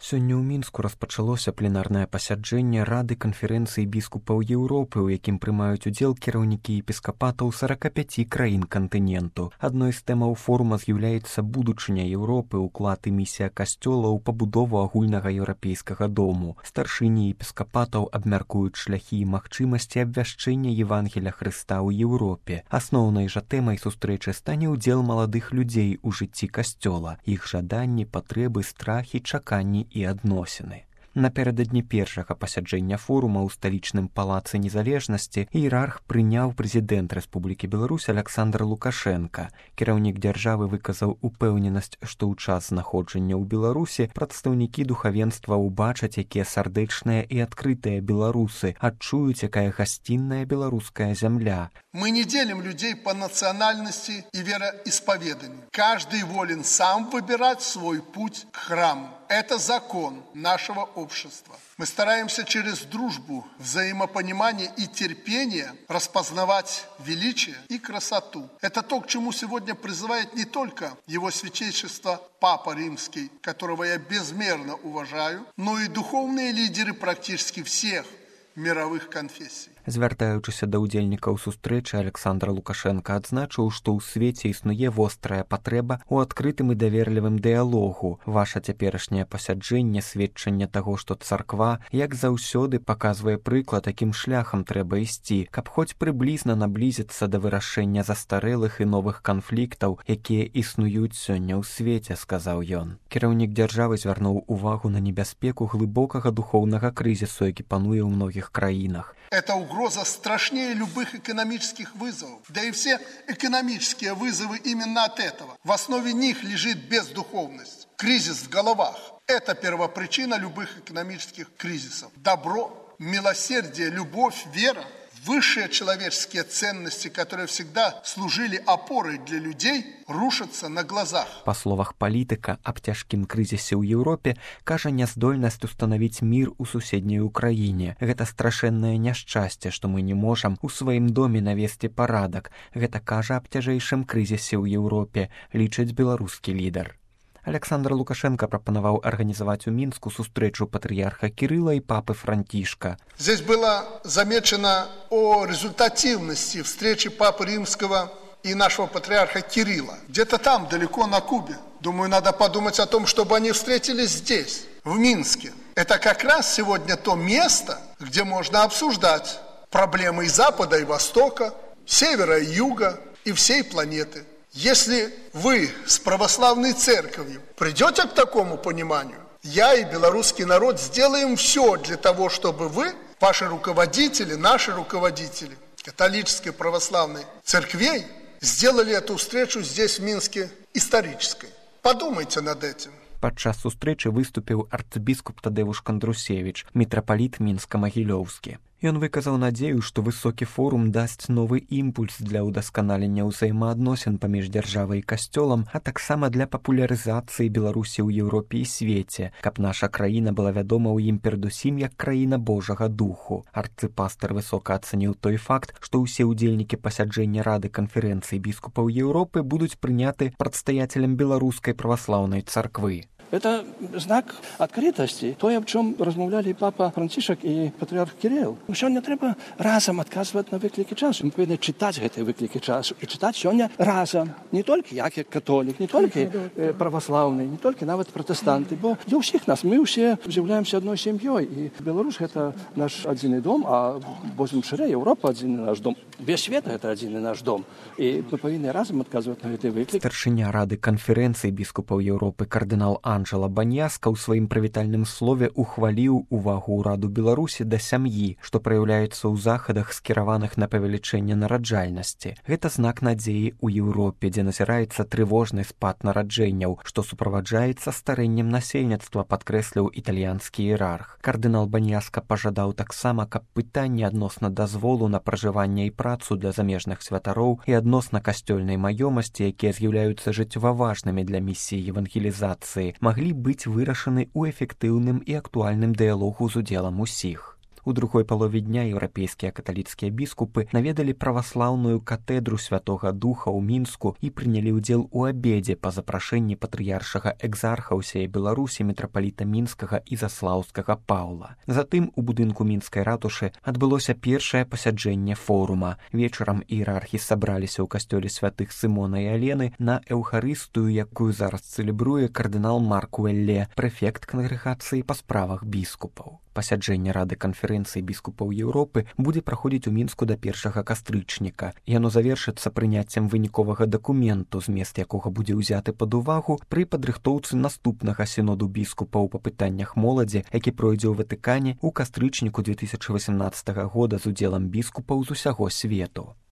Сёння ў Мінску распачалося пленарнае пасяджэнне Рады канферэнцыі біскупаў Еўропы, у якім прымаюць удзел кіраўнікі епіскапатаў 45 краін кантыненту. Адной з тэмаў форума з'яўляецца будучыня Еўропы, уклад і місія касцёла ў пабудову агульнага еўрапейскага дому. Старшыні епіскапатаў абмяркуюць шляхі і магчымасці абвяшчэння Евангеля Хрыста ў Еўропе. Асноўнай жа тэмай сустрэчы стане ўдзел маладых людзей у жыцці касцёла, іх жаданні, патрэбы, страхі, чаканні і адносіны. Напярэдадні першага пасяджэння форума ў сталічным палацы незалежнасці іерарх прыняў прэзідэнт Рэспублікі Беларусь Аляксандр Лукашенка. Кіраўнік дзяржавы выказаў упэўненасць, што ў час знаходжання ў Беларусі прадстаўнікі духавенства ўбачаць, якія сардэчныя і адкрытыя беларусы, адчуюць, якая гасцінная беларуская зямля. Мы не делим людей по национальности и вероисповеданию. Каждый волен сам выбирать свой путь к храму. Это закон нашего общества. Мы стараемся через дружбу, взаимопонимание и терпение распознавать величие и красоту. Это то, к чему сегодня призывает не только его святейшество Папа Римский, которого я безмерно уважаю, но и духовные лидеры практически всех мировых конфессий. Звяртаючыся да ўдзельнікаў сустрэчы, Аляксандр Лукашенка адзначыў, што ў свеце існуе вострая патрэба ў адкрытым і даверлівым дыялогу. Ваша цяперашняе пасяджэнне сведчанне таго, што царква, як заўсёды, паказвае прыклад, якім шляхам трэба ісці, каб хоць прыблізна наблізіцца да вырашэння застарэлых і новых канфліктаў, якія існуюць сёння ў свеце, сказаў ён. Кіраўнік дзяржавы звярнуў увагу на небяспеку глыбокага духоўнага крызісу, які пануе ў многіх краінах. Эта угроза страшнее любых экономических вызовов. Да и все экономические вызовы именно от этого. В основе них лежит бездуховность, кризис в головах. Это первопричина любых экономических кризисов. Добро, милосердие, любовь, вера, высшие человеческие ценности, которые всегда служили опорой для людей, рушатся на глазах. Па словах палітыка, аб цяжкім крызісе ў Еўропе кажа няздольнасць устанавіць мір у суседняй Украіне. Гэта страшэннае няшчасце, што мы не можам у сваім доме навесці парадак. Гэта кажа аб цяжэйшым крызісе ў Еўропе, лічыць беларускі лідар. Аляксандр Лукашенко прапанаваў арганізаваць у Мінску сустрэчу патрыярха Кирилла и папы Франтишка. Здесь было замечено о результативности встречи Папы Римского и нашего патриарха Кирилла. Где-то там, далеко на Кубе. Думаю, надо подумать о том, чтобы они встретились здесь, в Минске. Это как раз сегодня то место, где можно обсуждать проблемы и Запада, и Востока, Севера и Юга, и всей планеты. Если вы с православной церковью придете к такому пониманию, я и белорусский народ сделаем все для того, чтобы вы, ваши руководители, наши руководители католической православной церквей, сделали эту встречу здесь, в Минске, исторической. Подумайте над этим. Падчас сустрэчы выступіў арцыбіскуп Тадеуш Кандрусевіч, мітрапаліт Мінска-Магілёўскі. Ён выказаў надзею, што высокі форум дасць новы імпульс для ўдасканалення ўзаемаадносін паміж дзяржавай і касцёлам, а таксама для папулярызацыі Беларусі ў Еўропе і свеце, каб наша краіна была вядома ў ім перадусім як краіна Божага духу. Арцыпастар высока ацаніў той факт, што ўсе ўдзельнікі пасяджэння Рады канферэнцыі біскупаў Еўропы будуць прыняты прадстаяцелем беларускай праваслаўнай царквы. Это знак открытости. То, о чем размовляли папа Францишек и патриарх Кирилл. Сегодня треба разом отказывать на выклики часу. Мы повинны читать эти выклики часу. И читать сегодня разом. Не только я, как католик, не только православный, не только навіть протестанты. Бо для всех нас, мы все являемся одной семьей. И Беларусь — это наш один дом, а возьмем шире, Европа — один наш дом. Весь свет — это один наш дом. И мы повинны разом отказывать на эти выклики. Старшыня Рады канферэнцыі біскупаў Еўропы кардынал Анджела Баньяска ў сваім прывітальным слове ухваліў увагу ўраду Беларусі да сям'і, што праяўляецца ў захадах, скіраваных на павелічэнне нараджальнасці. Гэта знак надзеі ў Еўропе, дзе назіраецца трывожны спад нараджэнняў, што суправаджаецца старэннем насельніцтва, падкрэсліў італьянскі іерарх. Кардынал Баньяска пажадаў таксама, каб пытанні адносна дазволу на пражыванне і працу для замежных святароў і адносна касцёльнай маёмасці, якія з'яўляюцца жыццёважнымі для місіі евангелізацыі, маглі быць вырашаны ў эфектыўным і актуальным дыялогу з удзелам усіх. У другой палове дня еўрапейскія каталіцкія біскупы наведалі праваслаўную катэдру Святога Духа ў Мінску і прынялі ўдзел у абедзе па запрашэнні патрыяршага экзарха ўсей Беларусі мітрапаліта Мінскага і Заслаўскага Паўла. Затым у будынку мінскай ратушы адбылося першае пасяджэнне форума. Вечарам іерархі сабраліся ў касцёле святых Сымона і Алены на эўхарыстыю, якую зараз цэлебруе кардынал Марк Уэлле, прэфект кангрэгацыі па справах біскупаў. Пасяджэнне Рады канферэнцыі біскупаў Еўропы будзе праходзіць у Мінску да 1 кастрычніка. Яно завершыцца прыняццем выніковага дакументу, змест якога будзе ўзяты пад увагу пры падрыхтоўцы наступнага сіноду біскупаў па пытаннях моладзі, які пройдзе ў Ватыкане ў кастрычніку 2018 года з удзелам біскупаў з усяго свету.